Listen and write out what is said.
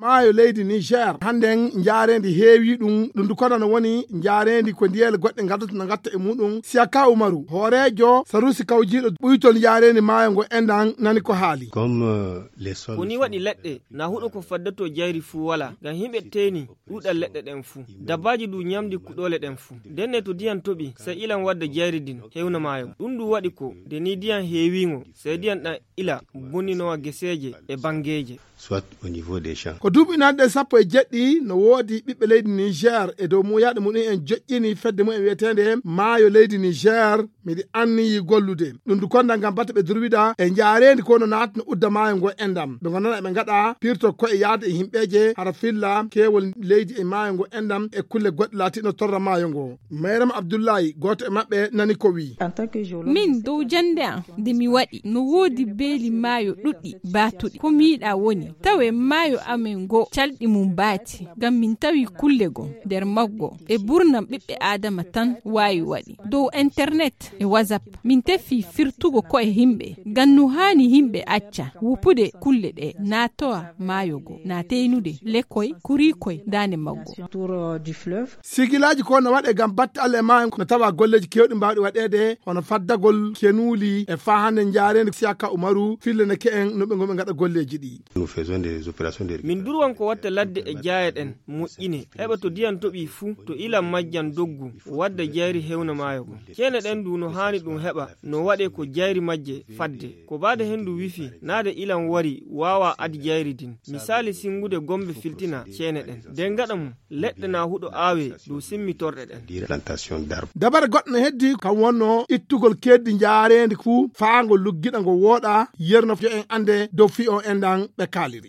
maayo leydi Niger handen jaarendi heewi ɗum dukono no woni jaarendi ko ndiyele goɗɗe gadata no gatta e muɗum. Siaka Umaru horejo Sarusi Kawjiɗo ɓuytol jaarendi maayo ngo endan nani ko haali. Koni waɗi leɗɗe na huɗo ko faddato jayri fuu wala ngam himɓe teeni ɗuɗal leɗɗe ɗen fuu. Dabbaji du nyamdi kuɗole ɗen fuu. Denne to diyan toɓi sai ilan wadda jayri din hewna maayo. Ɗum du waɗi ko de ni diyan heewingo sai diyan ɗan ila boninowa geseje e bangeje. Soit au niveau des champs. Ko duuɓi nanɗe 17 no woodi ɓiɓɓe leydi Niger e dow muyaɗo muɗum en joƴƴini fedde mumen wiyetende maayo leydi Niger miɗi anniyi gollude ɗum du konda ngam batta ɓe durwida e jaarendi ko no natno udda maayo ngo endam ɓe gonana ɓe gaɗa pirto koye yaade e himɓeje hara filla kewol leydi e maayo ngo endam e kulle goɗɗe laatiɗo torra maayo ngo. Mayram Abdoullahi goto e maɓɓe nani ko wi. Min dow jande an nde mi waɗi no woodi beeli maayo ɗuɗɗi baatuɗi ko mi yiɗa woni tawe maayo amen go calɗi mum baati ngam min tawi kulle go nder maggo e burnam ɓiɓɓe adama tan wawi waɗi dow internet e whatsapp min tefi firtugo ko e himɓe ngam no hani himɓe acca wupude kulle ɗe natowa maayo go na teynude lekkoy kurikoy dane maggo. Sigilaji ko no waɗe ngam batta Allah e maayo no tawa golleji kewɗi mbawɗi waɗede hono faddagol kenuli e fahande jaarendi Siaka Umaru fille ne ke'en no ɓe goɓe gaɗa golleji ɗi. Min durwan ko watta ladde e jaayeɗen moƴƴine heɓa to diyan toɓi fuu to ilan majjan doggu wadda jayri hewna maayo go. Kene ɗen du no hani ɗum heɓa no waɗe ko jayri majje fadde ko baade hendu wifi naade ilan wari wawa adi jayri din misali singude gombe filtina cene ɗen den gaɗa mum leɗɗe na huɗo aawe du simmitorɗe ɗen. Dabare goɗɗo no heddi kam wonno ittugol keddi jaarendi fuu faangol luggiɗa ngo wooɗa yerno jo en ande dow fi o endan ɓe kaaliri.